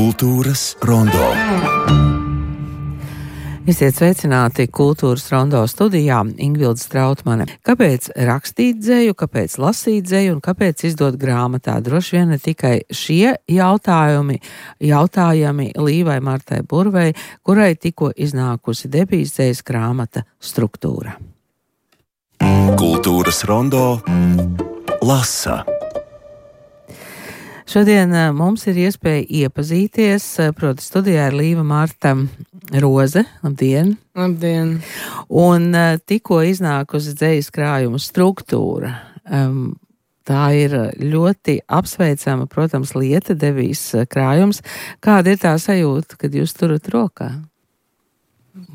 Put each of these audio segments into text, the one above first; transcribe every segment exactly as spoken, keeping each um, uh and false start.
Kultūras rondo. Esiet sveicināti Kultūras rondo studijā, Ingvilde Strautmane. Kāpēc rakstīt dzeju, kāpēc lasīt dzeju un kāpēc izdot grāmatā? Droši vien ne tikai šie jautājumi, jautājami Līvai Martai Burvei, kurai tikko iznākusi debijas dzejas grāmata Struktūra. Kultūras rondo lasa. Šodien mums ir iespēja iepazīties, proti studijā ir Līva Marta Roze. Labdien! Labdien! Un tikko iznākusi dzejas krājuma Struktūra. Um, tā ir ļoti apsveicama, protams, lieta, debijas krājums. Kāda ir tā sajūta, kad jūs turat rokā?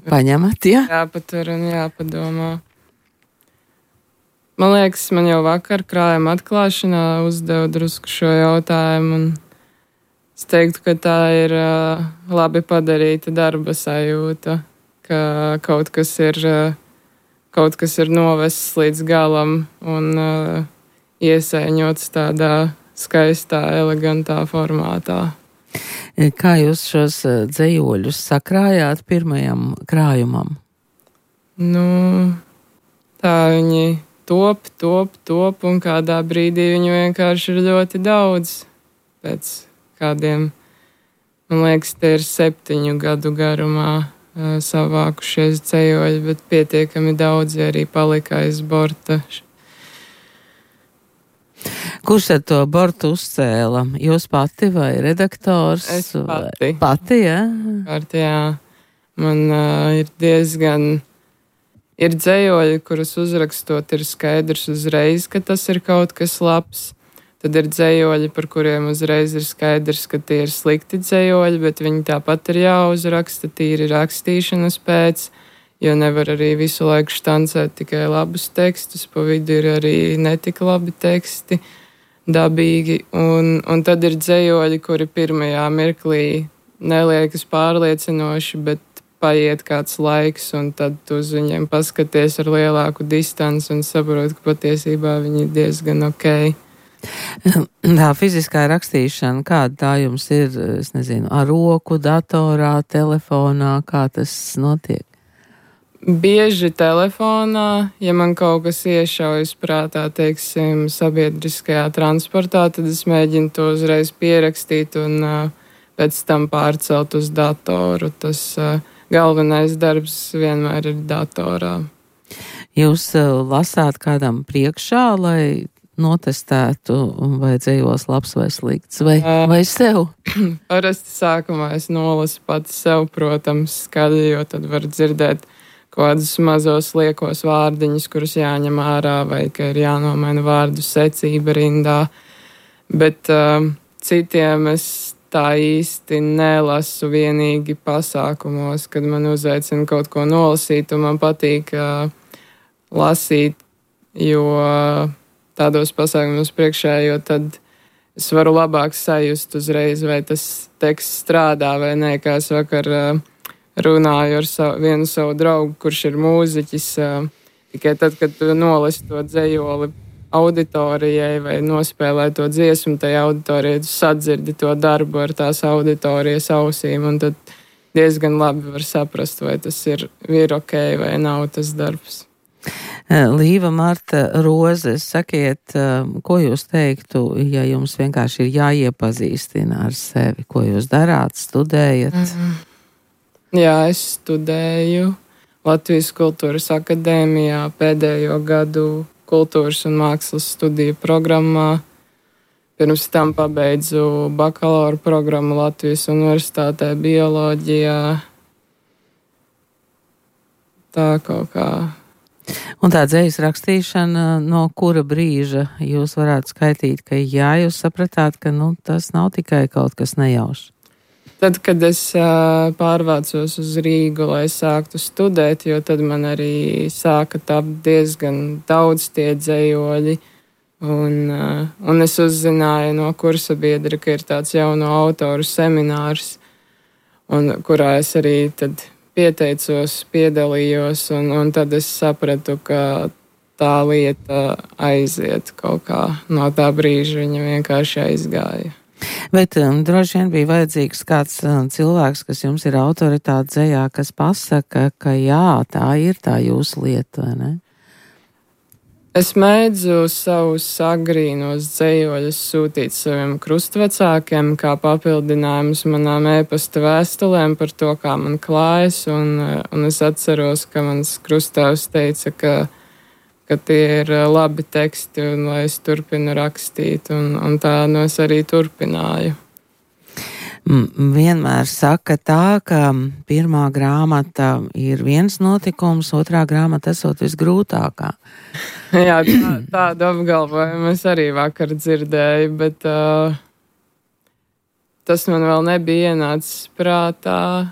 Paņemat, ja? Jāpatur un jāpadomā. Man liekas, man jau vakar krājuma atklāšanā uzdeva drusku šo jautājumu, un es teiktu, ka tā ir uh, labi padarīta darba sajūta, ka kaut kas ir, uh, kaut kas ir novests līdz galam un uh, iesaiņots tādā skaistā, elegantā formātā. Kā jūs šos dzejoļus sakrājāt pirmajam krājumam? Nu, tā viņi top, top, top, un kādā brīdī viņu vienkārši ir ļoti daudz. Pēc kādiem, man liekas, tie ir septiņu gadu garumā uh, savākušies dzejoļi, bet pietiekami daudzi arī palika aiz borta. Kurš ar to bortu uzcēla? Jūs pati vai redaktors? Es pati. Vai? Pati, jā? Kārt, jā. Man uh, ir diezgan... Ir dzejoļi, kurus uzrakstot ir skaidrs uzreiz, ka tas ir kaut kas labs. Tad ir dzejoļi, par kuriem uzreiz ir skaidrs, ka tie ir slikti dzejoļi, bet viņi tāpat ir jāuzraksta tīri rakstīšanas pēc, jo nevar arī visu laiku štancēt tikai labus tekstus, pa vidu ir arī netik labi teksti, dabīgi. Un, un tad ir dzejoļi, kuri pirmajā mirklī neliekas pārliecinoši, bet paiet kāds laiks, un tad tu uz viņiem paskaties ar lielāku distanci un saproti, ka patiesībā viņi ir diezgan ok. Tā fiziskā rakstīšana, kāda tā jums ir, es nezinu, ar roku, datorā, telefonā, kā tas notiek? Bieži telefonā, ja man kaut kas iešaujas prātā, teiksim, sabiedriskajā transportā, tad es mēģinu to uzreiz pierakstīt un uh, pēc tam pārcelt uz datoru. Tas uh, galvenais darbs vienmēr ir datorā. Jūs uh, lasāt kādam priekšā, lai notestētu, vai dzejos labs vai slikts, vai, uh, vai sev? Parasti sākumā es nolasu pati sev, protams, skaļi, jo tad var dzirdēt kādus mazos liekos vārdiņus, kurus jāņem ārā, vai ka ir jānomaina vārdu secība rindā. Bet uh, citiem es tā īsti nelasu vienīgi pasākumos, kad man uzaicina kaut ko nolasīt, un man patīk uh, lasīt, jo uh, tādos pasākumos priekšā, jo tad es varu labāk sajust uzreiz, vai tas teksts strādā vai nē, kā es vakar uh, runāju ar savu, vienu savu draugu, kurš ir mūziķis, uh, tikai tad, kad tu nolasi to dzejoli auditorijai vai nospēlē to dziesmu tajā auditorijai, tu sadzirdi to darbu ar tās auditorijas ausīm, un tad diezgan labi var saprast, vai tas ir, ir ok vai nav tas darbs. Līva Marta Roze, sakiet, ko jūs teiktu, ja jums vienkārši ir jāiepazīstina ar sevi, ko jūs darāt, studējat? Mm-hmm. Jā, es studēju Latvijas Kultūras akadēmijā pēdējo gadu kultūras un mākslas studiju programmā. Pirms tam pabeidzu bakalaura programmu Latvijas Universitātē bioloģijā. Tā kaut kā. Un tā dzejas rakstīšana, no kura brīža jūs varētu skaitīt, ka jā, jūs sapratāt, ka nu, tas nav tikai kaut kas nejaušs? Tad, kad es uh, pārvācos uz Rīgu, lai sāktu studēt, jo tad man arī sāka tapt diezgan daudz tie dzejoļi, un, uh, un es uzzināju no kursa biedra, ka ir tāds jauno autoru seminārs, un kurā es arī tad pieteicos, piedalījos, un, un tad es sapratu, ka tā lieta aiziet kaut kā no tā brīža, viņa vienkārši aizgāja. Bet um, droši vien bija vajadzīgs kāds um, cilvēks, kas jums ir autoritāte dzejā, kas pasaka, ka jā, tā ir tā jūsu lieta, vai ne? Es mēdzu savus agrīnos dzejoļus sūtīt saviem krustvecākiem kā papildinājumus manām e-pasta vēstulēm par to, kā man klājas, un, un es atceros, ka mans krustāvs teica, ka, ka tie ir labi teksti un lai es turpinu rakstīt, un, un tā no es arī turpināju. Vienmēr saka tā, ka pirmā grāmata ir viens notikums, otrā grāmata esot visgrūtākā. Jā, tā, tādu apgalvojumu es arī vakar dzirdēju, bet uh, tas man vēl nebija ienācis prātā,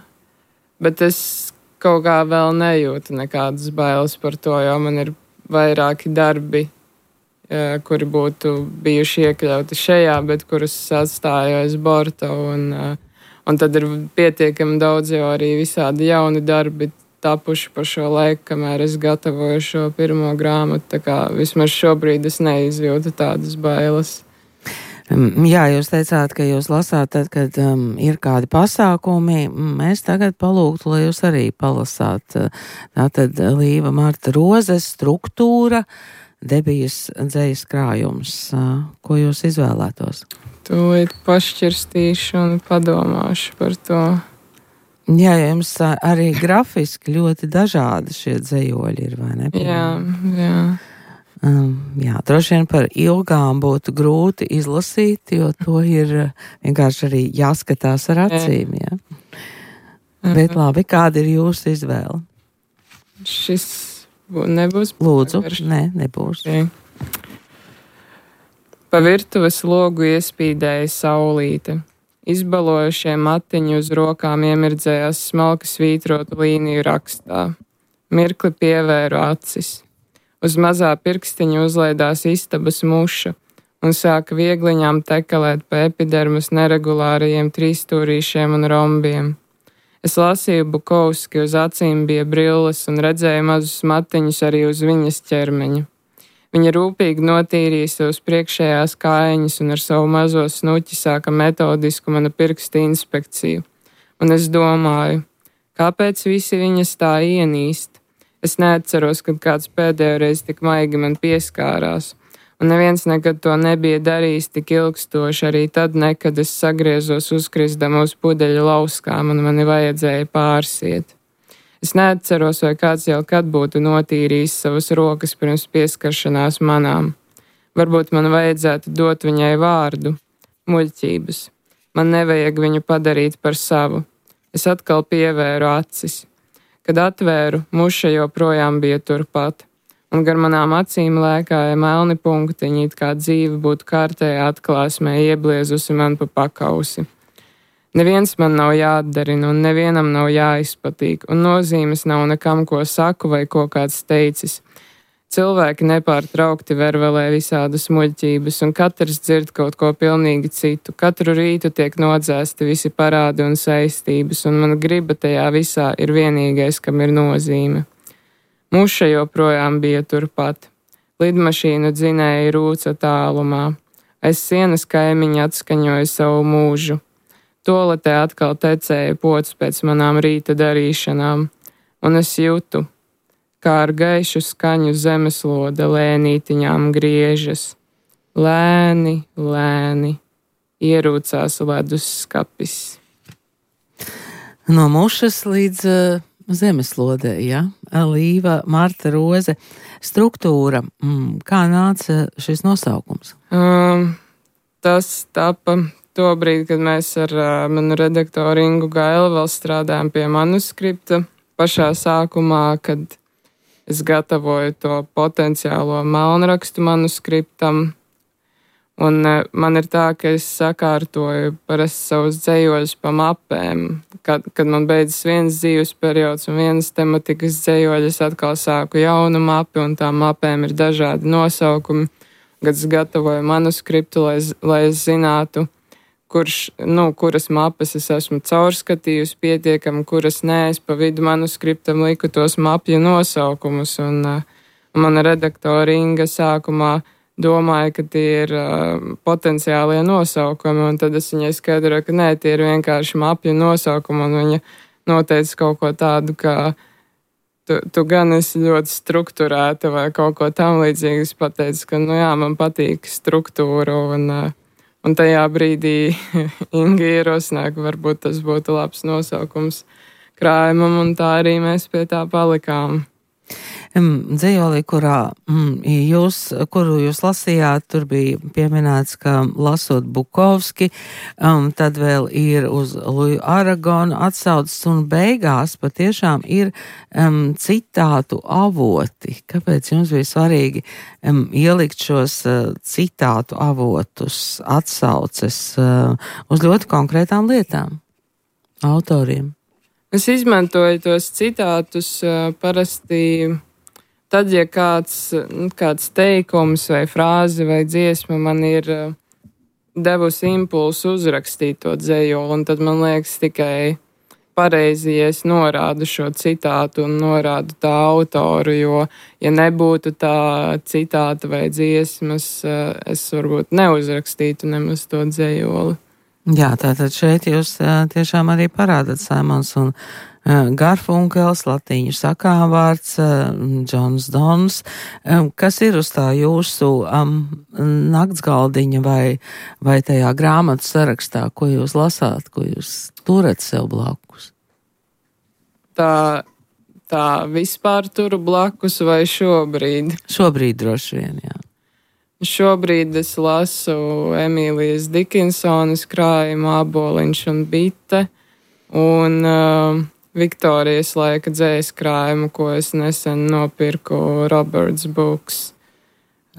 bet es kaut kā vēl nejūtu nekādas bailes par to, jo man ir vairāki darbi, kuri būtu bijuši iekļauti šajā, bet kurus atstāju aiz borta, un, un tad ir pietiekami daudz jau arī visādi jauni darbi tapuši pa šo laiku, kamēr es gatavoju šo pirmo grāmatu, tā kā vismaz šobrīd es neizjūtu tādas bailes. Jā, jūs teicāt, ka jūs lasāt tad, kad um, ir kādi pasākumi. Mēs tagad palūgtu, lai jūs arī palasāt. Tātad Līva Marta Rozes struktūra, Debijas dzejas krājums. Ko jūs izvēlētos? Tūlīt pašķirstīšu un padomāšu par to. Jā, jums arī grafiski ļoti dažādi šie dzejoļi ir, vai ne? Jā, jā. Um, jā, droši vien par ilgām būtu grūti izlasīt, jo to ir vienkārši arī jāskatās ar acīm, jā. jā. Bet labi, kāda ir jūsu izvēle? Šis nebūs. Lūdzu, nē, nebūs. Okay. Pa virtuves logu iespīdēja saulīte. Izbalojušie matiņi uz rokām iemirdzējās smalki svītrotu līniju rakstā. Mirkli pievēru acis. Uz mazā pirkstiņa uzlaidās istabas muša un sāka viegliņām tekalēt pa epidermas neregulārajiem trīsstūrīšiem un rombiem. Es lasīju Bukovski, uz acīm bija brilles un redzēju mazus matiņus arī uz viņas ķermeņa. Viņa rūpīgi notīrīja savus priekšējās kājiņas un ar savu mazo snuķi sāka metodisku mana pirksta inspekciju. Un es domāju, kāpēc visi viņas tā ienīst? Es neatceros, kad kāds pēdējo reizi tik maigi man pieskārās. Un neviens nekad to nebija darījis tik ilgstoši, arī tad nekad es sagriezos uzkrisdama uz pudeļa lauskām un mani vajadzēja pārsiet. Es neatceros, vai kāds jau kad būtu notīrījis savas rokas pirms pieskaršanās manām. Varbūt man vajadzētu dot viņai vārdu, muļķības. Man nevajag viņu padarīt par savu. Es atkal pievēru acis. Kad atvēru, muša joprojām bija turpat. Un gar manām acīm lēkāja melni punktiņi, it kā dzīve būtu kārtējā atklāsmē iebliezusi man pa pakausi. Neviens man nav jāatdarina, un nevienam nav jāizpatīk, un nozīmes nav nekam, ko saku vai ko kāds teicis. Cilvēki nepārtraukti vervelē visādas muļķības, un katrs dzird kaut ko pilnīgi citu. Katru rītu tiek nodzēsti visi parādi un saistības, un mana griba tajā visā ir vienīgais, kam ir nozīme. Muša joprojām bija turpat. Lidmašīnu dzinēja rūca tālumā. Aiz sienas kaimiņi atskaņoja savu mūžu. Toaletē atkal tecēja pods pēc manām rīta darīšanām, un es jūtu, kā ar gaišu skaņu zemeslode lēnītiņām griežas. Lēni, lēni, ierūcās ledus skapis. No mušas līdz uh... zemeslodē, jā, Līva Marta Roze struktūra. Mm, kā nāca šis nosaukums? Um, tas tapa to brīdi, kad mēs ar uh, manu redaktoru Ingu Gailu vēl strādājām pie manuskripta. Pašā sākumā, kad es gatavoju to potenciālo melnrakstu manuskriptam, un uh, man ir tā, ka es sakārtoju parasti savus dzejoļus pa mapēm. Kad, kad man beidzas viens dzīves periods un vienas tematikas dzejoļi, es atkal sāku jaunu mapi, un tām mapēm ir dažādi nosaukumi. Kad es gatavoju manuskriptu, lai, lai es zinātu, kurš, nu, kuras mapes es esmu caurskatījusi pietiekami, kuras nē, es pa vidu manuskriptam liku tos mapju nosaukumus, un, uh, un mana redaktora Inga sākumā domāju, ka tie ir uh, potenciālie nosaukumi, un tad es viņai skaidroju, ka nē, tie ir vienkārši mapju nosaukumi, un viņa noteica kaut ko tādu, ka tu, tu gan esi ļoti strukturēta vai kaut ko tam līdzīgi. Es pateicu, ka, nu jā, man patīk struktūra, un, uh, un tajā brīdī Inga ierosināja, ka varbūt tas būtu labs nosaukums krājumam, un tā arī mēs pie tā palikām. Dzejolī, kurā mm, jūs, kuru jūs lasījāt, tur bija pieminēts, ka lasot Bukovski, um, tad vēl ir uz Luju Aragonu atsaucis, un beigās patiešām ir um, citātu avoti. Kāpēc jums bija svarīgi um, ielikt šos uh, citātu avotus, atsauces uh, uz ļoti konkrētām lietām, autoriem? Es izmantoju tos citātus uh, parasti tad, ja kāds, kāds teikums vai frāze vai dziesma man ir uh, devusi impulsu uzrakstīt to dzejoli, un tad man liekas tikai pareizi, ja es norādu šo citātu un norādu tā autoru, jo, ja nebūtu tā citāta vai dziesmas, uh, es varbūt neuzrakstītu nemaz to dzejoli. Jā, tātad šeit jūs uh, tiešām arī parādat Saimons un uh, Garfunkels, latīņu sakāvārds, uh, Džons Dons. Um, kas ir uz tā jūsu um, naktsgaldiņa vai, vai tajā grāmatu sarakstā, ko jūs lasāt, ko jūs turat sev blakus? Tā, tā vispār turu blakus vai šobrīd? Šobrīd droši vien, jā. Šobrīd es lasu Emīlijas Dikinsonas krājumu Āboliņš un bite un uh, Viktorijas laika dzējas krājumu, ko es nesen nopirku Roberts Books.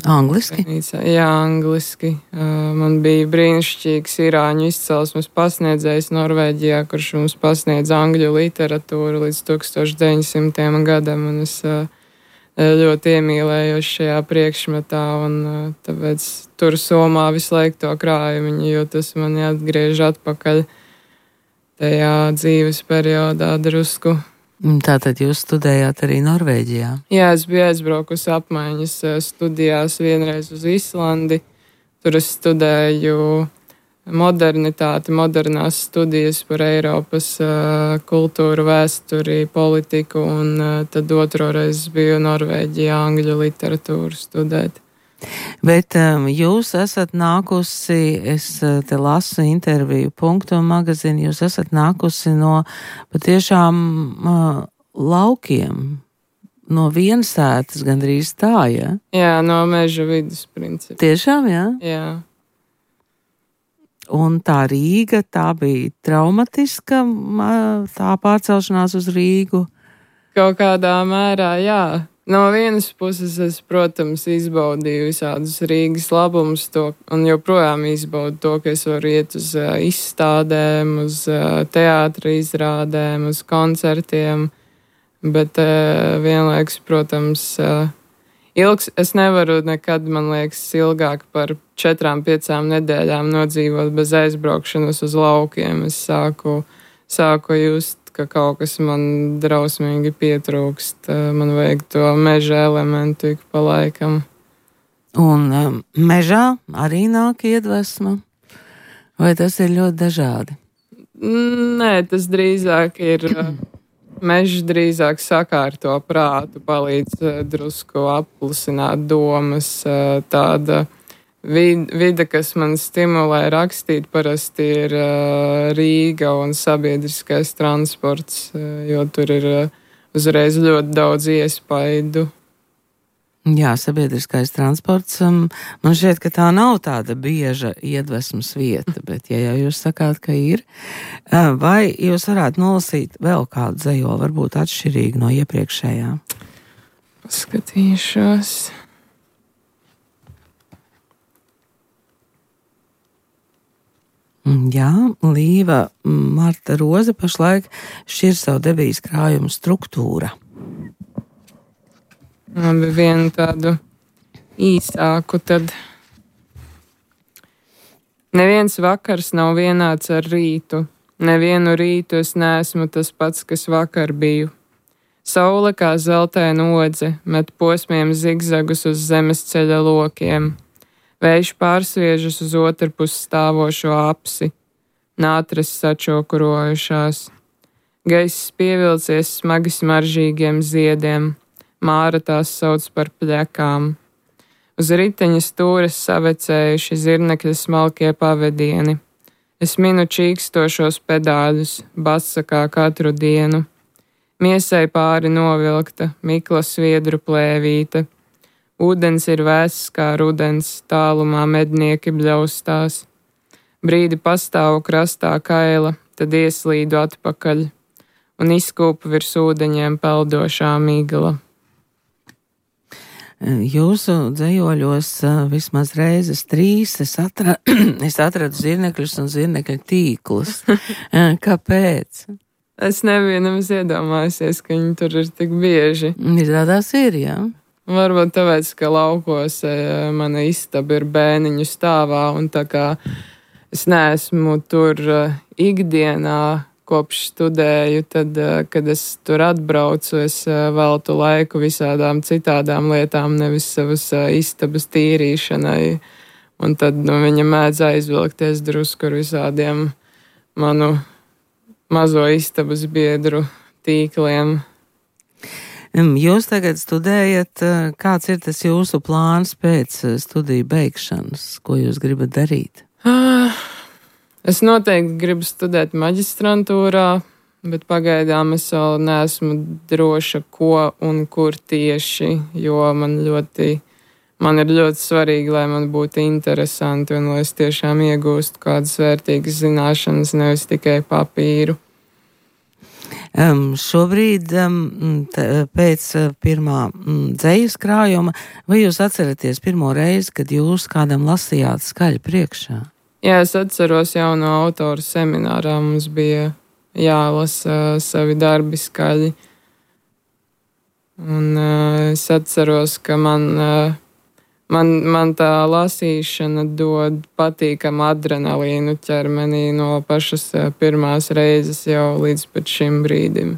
Angliski? Jā, angliski. Uh, man bija brīnišķīgs irāņu izcelsmes pasniedzējs Norvēģijā, kurš mums pasniedz angļu literatūru līdz tūkstoš deviņsimtajam gadam, un es uh, ļoti iemīlējos šajā priekšmetā, un tāpēc tur somā visu laiku to krājumu, jo tas mani atgriež atpakaļ tajā dzīves periodā drusku. Tātad jūs studējāt arī Norvēģijā? Jā, es biju aizbraukusi apmaiņas studijās vienreiz uz Islandi. Tur es studēju modernitāti, modernās studijas par Eiropas uh, kultūru, vēsturi, politiku, un uh, tad otro reizi biju Norvēģijā angļu literatūru studēt. Bet um, jūs esat nākusi, es te lasu interviju Punktu magazīnu, jūs esat nākusi no patiešām uh, laukiem, no viensētas gandrīz tā, ja? Jā, no meža vidus principā. Tiešām, jā? Jā. Un tā Rīga, tā bija traumatiska, tā pārcelšanās uz Rīgu? Kaut kādā mērā, jā. No vienas puses es, protams, izbaudīju visādus Rīgas labumus, to, un joprojām izbaudu to, ka es varu iet uz uh, izstādēm, uz uh, teātra izrādēm, uz koncertiem, bet uh, vienlaikus, protams, uh, ilgs, es nevaru nekad, man liekas, ilgāk par četrām, piecām nedēļām nodzīvot bez aizbraukšanas uz laukiem. Es sāku, sāku just, ka kaut kas man drausmīgi pietrūkst. Man vajag to meža elementu ik pa laikam. Un um, mežā arī nāk iedvesma? Vai tas ir ļoti dažādi? Nē, tas drīzāk ir... Mežs drīzāk sakārto prātu, palīdz uh, drusku apklusināt domas. Uh, tāda vid, vide, kas man stimulē rakstīt, parasti ir uh, Rīga un sabiedriskais transports, uh, jo tur ir uh, uzreiz ļoti daudz iespaidu. Jā, sabiedriskais transports, um, man šķiet, ka tā nav tāda bieža iedvesmas vieta, bet ja jau jūs sakāt, ka ir, uh, vai jūs varētu nolasīt vēl kādu dzejoli, varbūt atšķirīgu no iepriekšējā? Paskatīšos. Jā, Līva Marta Roze pašlaik šķir savu debijas krājumu Struktūra. Labi, vienu tādu īsāku tad. Neviens vakars nav vienāds ar rītu. Nevienu rītu es neesmu tas pats, kas vakar biju. Saule kā zeltaina odze met posmiem zigzagus uz zemes ceļa lokiem. Vējš pārsviežas uz otru pusi stāvošo apsi, nātras sačokurojušās. Gaiss pievilcies smagi smaržīgiem ziediem, Māra tās sauc par pļakām. Uz riteņa stūres savecējuši zirnekļa smalkie pavedieni. Es minu čīkstošos pedāļus, basa kā katru dienu. Miesai pāri novilkta, mikla sviedru plēvīte. Ūdens ir vēss kā rudens, tālumā mednieki bļaustās. Brīdi pastāvu krastā kaila, tad ieslīdu atpakaļ, un izkūpu virs ūdeņiem peldošā migla. Jūsu dzejoļos vismaz reizes trīs es, atra... es atradu zirnekļus un zirnekļu tīklus. Kāpēc? Es nebiju nemaz iedomājusies, ka viņi tur ir tik bieži. Izrādās ir, jā. Varbūt tāpēc, ka laukos mana istaba ir bēniņu stāvā, un tā kā es neesmu tur ikdienā, kopš studēju, tad, kad es tur atbraucu, es veltu laiku visādām citādām lietām, nevis savas istabas tīrīšanai. Un tad nu, viņa mēdz aizvilkties drusku ar visādiem manu mazo istabas biedru tīkliem. Jūs tagad studējat, kāds ir tas jūsu plāns pēc studiju beigšanas? Ko jūs gribat darīt? Ah. Es noteikti gribu studēt maģistrantūrā, bet pagaidām es vēl neesmu droša, ko un kur tieši, jo man ļoti, man ir ļoti svarīgi, lai man būtu interesanti un lai es tiešām iegūstu kādas vērtīgas zināšanas, nevis tikai papīru. Um, šobrīd, um, t, pēc pirmā um, dzejas krājuma, vai jūs atceraties pirmo reizi, kad jūs kādam lasījāt skaļi priekšā? Jā, es atceros jau no autoru seminārā, mums bija jālasa savi darbi skaļi. Un uh, es atceros, ka man, uh, man, man tā lasīšana dod patīkamu adrenalīnu ķermenī no pašas uh, pirmās reizes jau līdz pat šim brīdim.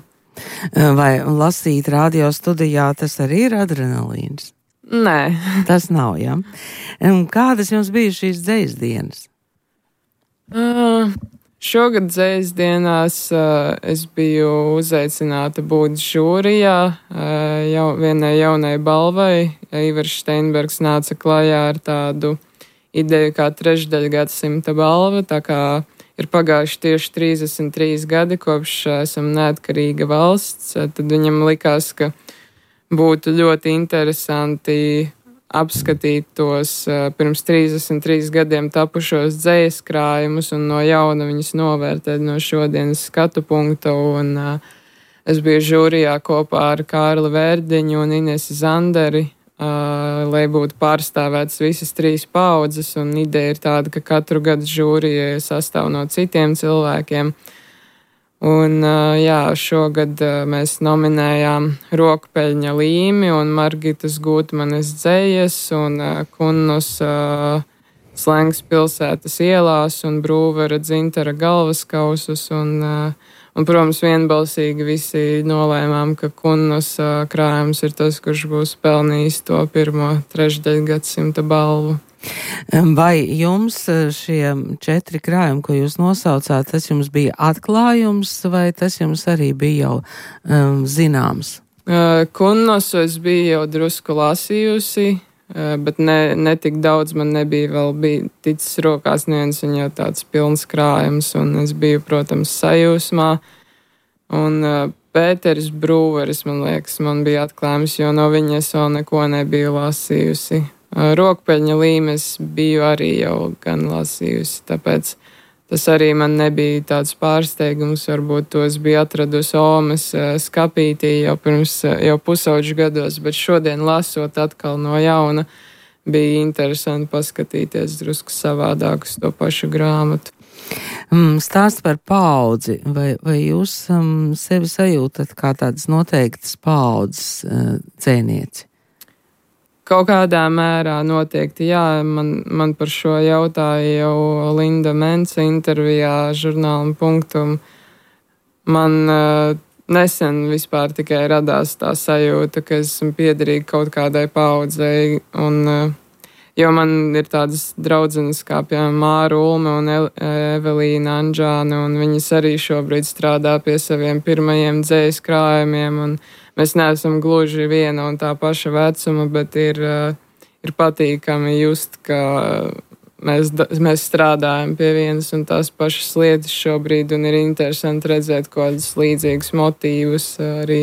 Vai lasīt radio studijā tas arī ir adrenalīns? Nē. Tas nav, jā. Kādas jums bija šīs dzejas dienas? Uh, šogad dzejas dienās uh, es biju uzaicināta būt žūrijā uh, jau, vienai jaunai balvai. Ivars Steinbergs nāca klajā ar tādu ideju kā trešdaļa gadsimta balva, tā kā ir pagājuši tieši trīsdesmit trīs gadi, kopš uh, esam neatkarīga valsts, uh, tad viņam likās, ka būtu ļoti interesanti apskatīt tos uh, pirms trīsdesmit trīs gadiem tapušos dzejas krājumus un no jauna viņus novērtēt no šodienas skatu punkta. Un, uh, es biju žūrijā kopā ar Kārli Vērdiņu un Inesi Zanderi, uh, lai būtu pārstāvētas visas trīs paaudzes. Un ideja ir tāda, ka katru gadu žūrija sastāv no citiem cilvēkiem. Un, jā, šogad mēs nominējām Rokpeļņa Līmi un Margitas Gūtmanes dzejas un Kunnus Slengs pilsētas ielās un Brūvera Dzintara galvaskausus. Un, un, protams, vienbalsīgi visi nolēmām, ka Kunnus krājums ir tas, kurš būs pelnījis to pirmo trešdaļu gadsimta balvu. Vai jums šie četri krājumi, ko jūs nosaucāt, tas jums bija atklājums, vai tas jums arī bija jau um, zināms? Uh, Kunnosu es biju jau drusku lasījusi, uh, bet ne, ne tik daudz man nebija vēl bija ticis rokās neviens viņa jau tāds pilns krājums, un es biju, protams, sajūsmā. Un uh, Pēteris Brūveris, man liekas, man bija atklājums, jo no viņa es vēl neko nebiju lasījusi. Rokpeļņa Līmes biju arī jau gan lasījusi, tāpēc tas arī man nebija tāds pārsteigums. Varbūt tos bija atradusi Omes skapītī jau pirms jau pusauģu gados, bet šodien lasot atkal no jauna bija interesanti paskatīties drusku savādāk uz to pašu grāmatu. Stāst par paudzi, vai, vai jūs um, sevi sajūtat kā tādas noteiktas paudzes uh, dzēnieci? Kaut kādā mērā noteikti, jā, man, man par šo jautāja jau Linda Mensa intervijā žurnālam Punktum. Man uh, nesen vispār tikai radās tā sajūta, ka esmu piederīga kaut kādai paudzei, un uh, Jo man ir tādas draudzenes kā, piemēram, Māra Ulme un Evelīna Anžāne, un viņas arī šobrīd strādā pie saviem pirmajiem dzējas krājumiem, un mēs neesam gluži viena un tā paša vecuma, bet ir, ir patīkami just, ka mēs, mēs strādājam pie vienas un tās pašas lietas šobrīd, un ir interesanti redzēt kādus līdzīgus motīvus arī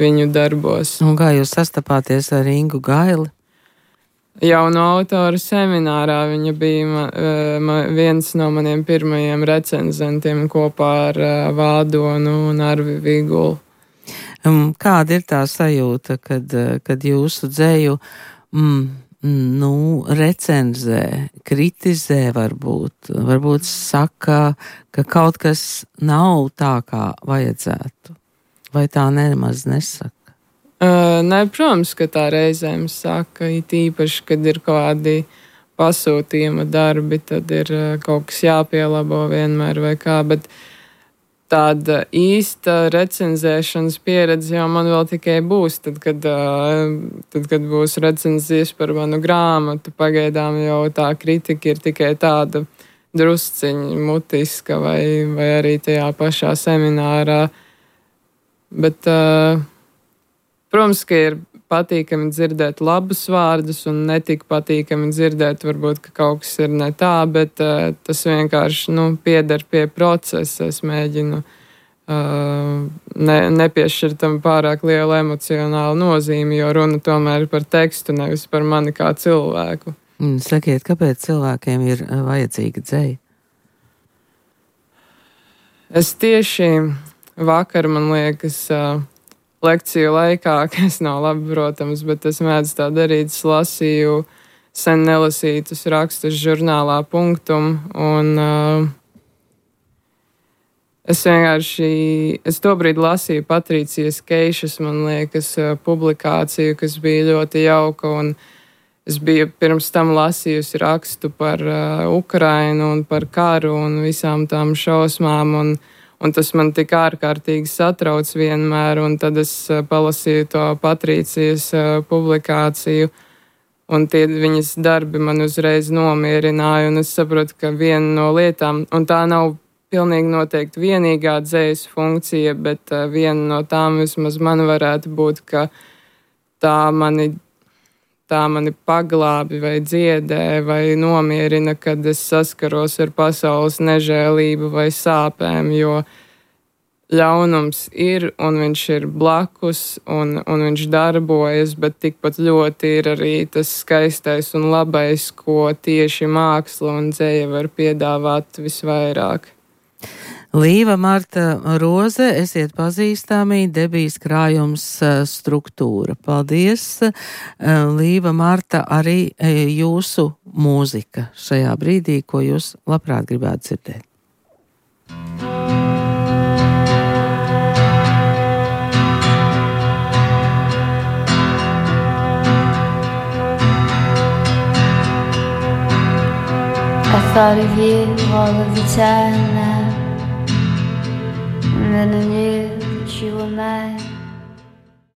viņu darbos. Un kā jūs sastapāties ar Ingu Gaili? Jauno autoru seminārā viņa bija ma, ma, viens no maniem pirmajiem recenzentiem kopā ar Vādonu un Arvi Vigulu. Kāda ir tā sajūta, kad, kad jūsu dzēju mm, nu, recenzē, kritizē varbūt, varbūt saka, ka kaut kas nav tā, kā vajadzētu? Vai tā nemaz nesaka? Uh, nē, protams, ka tā reizēm saka, it īpaši, kad ir kādi pasūtījuma darbi, tad ir uh, kaut kas jāpielabo vienmēr vai kā, bet tāda īsta recenzēšanas pieredze jau man vēl tikai būs, tad, kad, uh, tad, kad būs recenzijas par manu grāmatu. Pagaidām jau tā kritika ir tikai tāda drusciņa mutiska vai, vai arī tajā pašā seminārā, bet uh, protams, ka ir patīkami dzirdēt labus vārdus un netik patīkami dzirdēt, varbūt, ka kaut kas ir ne tā, bet uh, tas vienkārši, nu, pieder pie procesa. Es mēģinu uh, ne, nepiešķirt tam pārāk lielu emocionālu nozīmi, jo runa tomēr ir par tekstu, nevis par mani kā cilvēku. Mm, sakiet, kāpēc cilvēkiem ir vajadzīga dzēja? Es tieši vakar, man liekas, uh, lekciju laikā, kas nav labi, protams, bet es mēdzu tā darīt, es lasīju sen nelasītus rakstus žurnālā Punktum, un uh, es vienkārši, es tobrīd lasīju Patricijas Keišas, man liekas, publikāciju, kas bija ļoti jauka, un es biju pirms tam lasījusi rakstu par uh, Ukrainu un par karu un visām tām šausmām, un Un tas man tik ārkārtīgi satrauc vienmēr, un tad es palasīju to Patricijas publikāciju, un tie viņas darbi man uzreiz nomierināja, un es saprotu, ka viena no lietām, un tā nav pilnīgi noteikti vienīgā dzējas funkcija, bet viena no tām vismaz man varētu būt, ka tā mani tā mani paglābi vai dziedē vai nomierina, kad es saskaros ar pasaules nežēlību vai sāpēm, jo ļaunums ir un viņš ir blakus un, un viņš darbojas, bet tikpat ļoti ir arī tas skaistais un labais, ko tieši māksla un dzēja var piedāvāt visvairāk. Līva Marta Roze, esiet pazīstami, debijas krājums struktūra. Paldies, Līva Marta, arī jūsu mūzika šajā brīdī, ko jūs labprāt gribētu dzirdēt. I thought of you all of the time now. And then I knew that you were mine.